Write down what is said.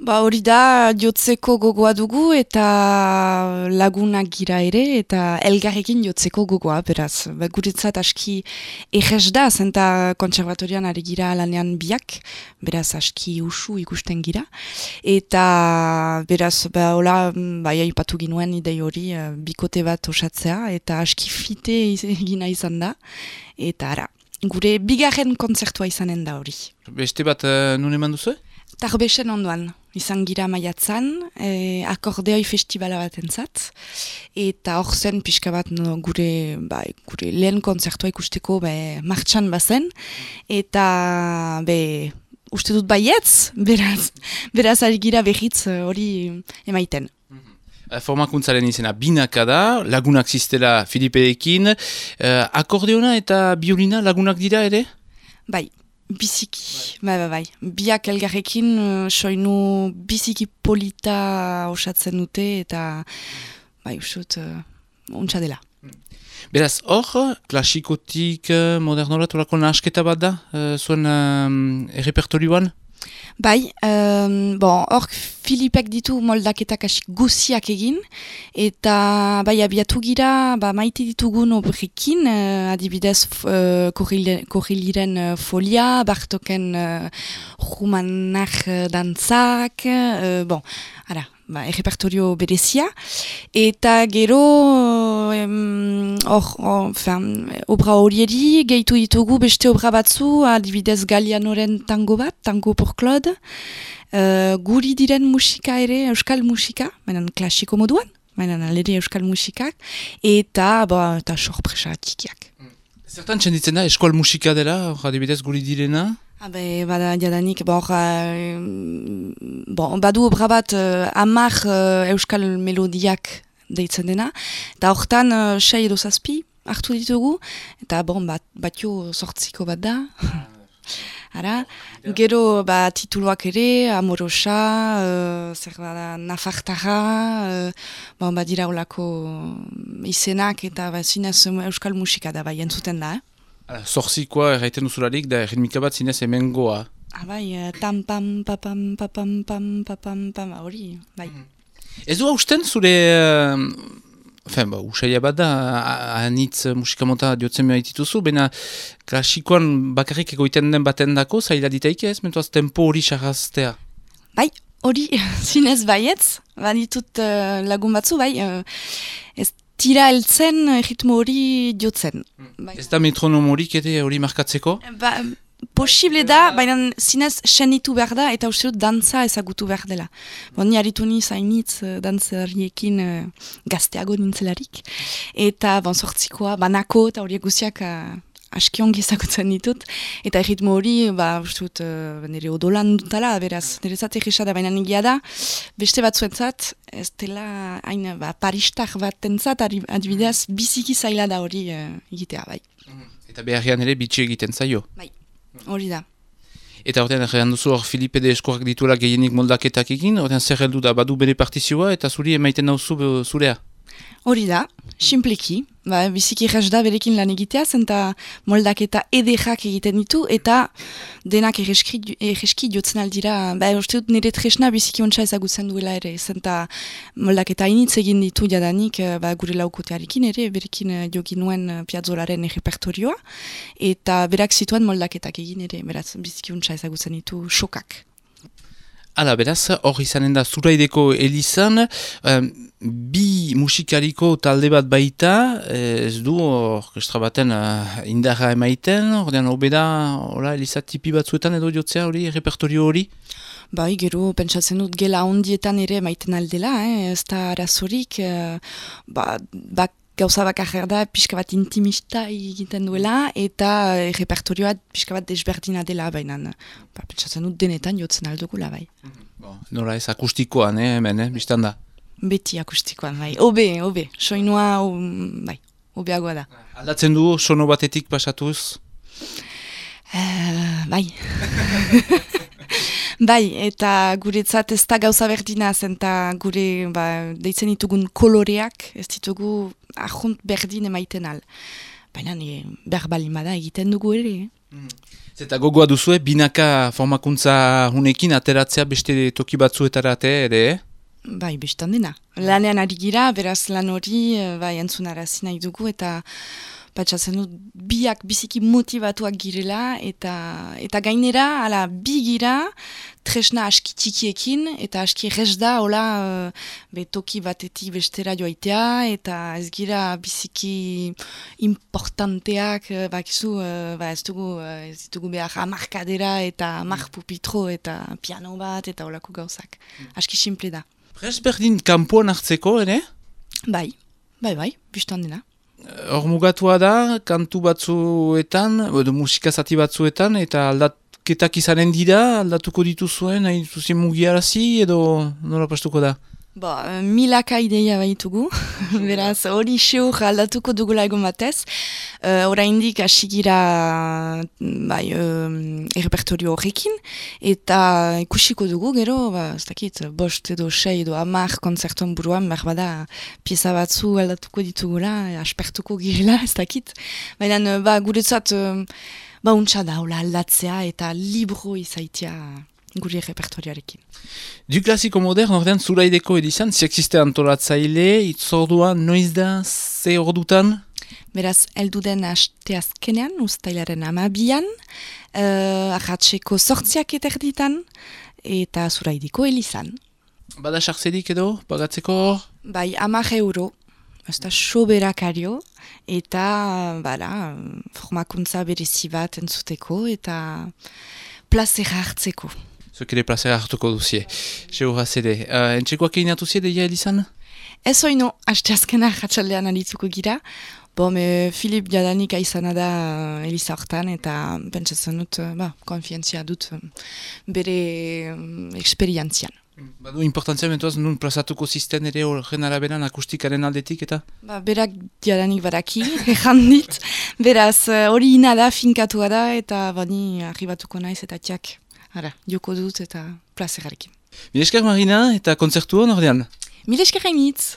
Ba hori da jotzeko gogoa dugu eta lagunak gira ere eta elgarrekin jotzeko gogoa, beraz. Ba, guretzat aski errez da, zenta kontserbatorian ari gira lanean biak, beraz aski usu ikusten gira. Eta beraz, ba, hola, bai aipatu ginuen idei hori bikote bat osatzea eta aski fite egina izan da. Eta ara, gure bigarren kontzertua izanen da hori. Beste bat nun eman duzu? Tarbesen ondoan, izan gira maiatzan, akordeoi festivala bat entzat, eta hor zen pixka bat gure lehen kontzertua ikusteko martxan bazen, eta uste dut baietz, beraz ari gira behitz hori emaiten. Formakuntzaren izena binaka da, lagunak ziztela Filipeekin, akordeona eta biolina lagunak dira ere? Bai. Biziki, bai. Biak elgarrekin soinu biziki polita osatzen dute eta bai usut untsa dela. Beraz, hor, klasikotik modernora tolako nahasketa bat da, zuen repertorioan? Bai, hor Filipek ditu moldaketak asik guziak egin, eta bai abiatu gira maite ditugun obrekin, adibidez Korriliren folia, Bartoken Rumanak dantzak, repertorio berezia, eta gero obra horieri gehitu ditugu beste obra batzu, adibidez Galianoren tango bat, Tango por Claude, guri diren musika ere, euskal musika, mainan klasiko moduan, mainan aleri euskal musikak, eta sorpresa txikiak. Zertan txenditzen da, eskol musika dela, adibidez guri direna? Bada jadanik, badu obra bat 10 euskal melodiak deitzen dena, eta hortan 6 edo 7 hartu ditugu, eta batio 8 bat da. Ara, gero tituluak ere, Amorosa, Nafartara, badira olako izenak eta zinez euskal musika da, entzuten da. Zorzikoa erraiten duzularik da ritmika bat zinez hemengoa. Tam pam papam papam pam papam pam hori, bai. Ez du hausten zure, usaila bat da, anitz musikamota diotzen behar dituzu, baina klasikoan bakarrik egoiten den baten dako, zaila ditaik ez, mentuaz tempo hori sarraztea. Bai, hori zinez baietz, ditut lagun batzu, ez tira heltzen ritmo hori diotzen. Ez da metronom horik ere hori markatzeko? Posible da, baina zinez senitu behar da eta uste dut dantza ezagutu behar dela. Ni haritu niz hainitz dantzariekin gazteago nintzelarik. Eta sortzikoa, banako eta horiek guziak aski ongi ezagutzen ditut. Eta ritmo hori, uste dut nire odolan dutala, beraz, nire zat egisa da, baina nigia da, beste batzuentzat, ez dela hain paristar bat entzat, adibidez, biziki zaila da hori egitea, bai. Eta beharrean ere bitxi egiten zaio? Bai. Hori da. Eta horrean errean duzu hor Filipe de Eskorak dituela gehienik moldaketak egin, horrean zer heldu da badu bere partizioa eta zuri emaiten nauzu zurea? Hori da, simpleki, biziki erraz da berekin lan egitea, zenta moldaketa ederrak egiten ditu, eta denak erreski jotzen aldira, uste dut nire tresna biziki ontsa ezagutzen duela ere, zenta moldaketa initz egin ditu jadanik gure laukotearekin ere, berekin joginuen piazzolaren repertorioa, eta berak zituen moldaketak egin ere, beraz biziki ontsa ezagutzen ditu sokak. Hala, beraz, hor izanen da Zuraideko Elizan, bi musikariko talde bat baita, ez du orkestra baten indarra emaiten, ordean hobeda Eliza tipi batzuetan edo jotzea hori, repertorio hori? Bai, gero, pentsatzen dut gela ondietan ere maiten aldela, ez da arazorik, gauza bakarra da pixka bat intimista egiten duela eta repertorioa pixka bat desberdina dela, baina pentsatzen dut denetan jotzen aldugula, bai. Nola ez akustikoan, hemen, biztan da? Beti akustikoan, bai. Obe, soinua, bai, obeagoa da. Aldatzen du sono batetik pasatuz? Bai. Bai, eta guretzat ez da gauza berdina zen, eta gure deitzen ditugun koloreak ez ditugu ahunt berdin emaiten al. Baina behar balin bada egiten dugu ere. Zeta gogoa duzue, binaka formakuntza hunekin ateratzea beste toki batzuetarate ere, Bai, bestan dena. Lanean ari gira, beraz lan hori, bai, entzunarazi nahi dugu, eta patxatzen dut biak biziki motivatuak girela, eta gainera, ala, bi gira, tresna aski txikiekin, eta aski rez da, hola, toki batetik bestera joaitea, eta ez gira biziki importanteak, bakizu, ez ditugu behar amarkadera, eta amar pupitro, eta piano bat, eta holako gauzak. Aski simple da. Prez berdin kanpoan hartzeko, ere? Bai, bistan dena. Hor mugatua da, kantu batzuetan, edo musika zati batzuetan, eta aldaketak izanen dira, aldatuko dituzuen, nahi dituzien mugiarazi, edo nola pastuko da? Milaka ideia baitugu, beraz hori xeur aldatuko dugula egon batez. Oraindik hasi gira errepertorio horrekin, eta ikusiko dugu gero, ez dakit, bost edo sei edo 10 konzerton buruan, berbada pieza batzu aldatuko ditugula, aspertuko girela, ez dakit. Baina guretzat untsa da, aldatzea eta libro izaitia gure repertorioarekin. Du klasiko modern, ordean zuraideko edizan, ziexiste antolatzaile, itzordua noiz da, ze ordutan? Beraz, elduden asteazkenean, uztailaren 12an, arratseko 8 eterditan, eta zuraideko elizan. Bada sartzerik edo, pagatzeko hor? Bai, 10 euro, ez da soberakario, eta formakuntza berezi bat entzuteko, eta plazera hartzeko. Zuek ere plazera hartuko duzie. Seuraz ere. Entxekoak egin atuzie deia edizan? Ez oino, asteazkena ratxaldean adituko gira. Filip jadanik aizana da Eliza hortan, eta pentsatzen dut, konfientzia dut bere eksperientzian. Badu importantzia mentuaz, nun plazatuko zisten ere horren araberan akustikaren aldetik, eta? Berak jadanik badaki, errandit. Beraz, hori ina da, finkatua da, eta bani arribatuko naiz, eta txak. Joko dut eta plazerarekin. Mil esker Marina eta kontzertu hon ordean? Mil esker hainitz!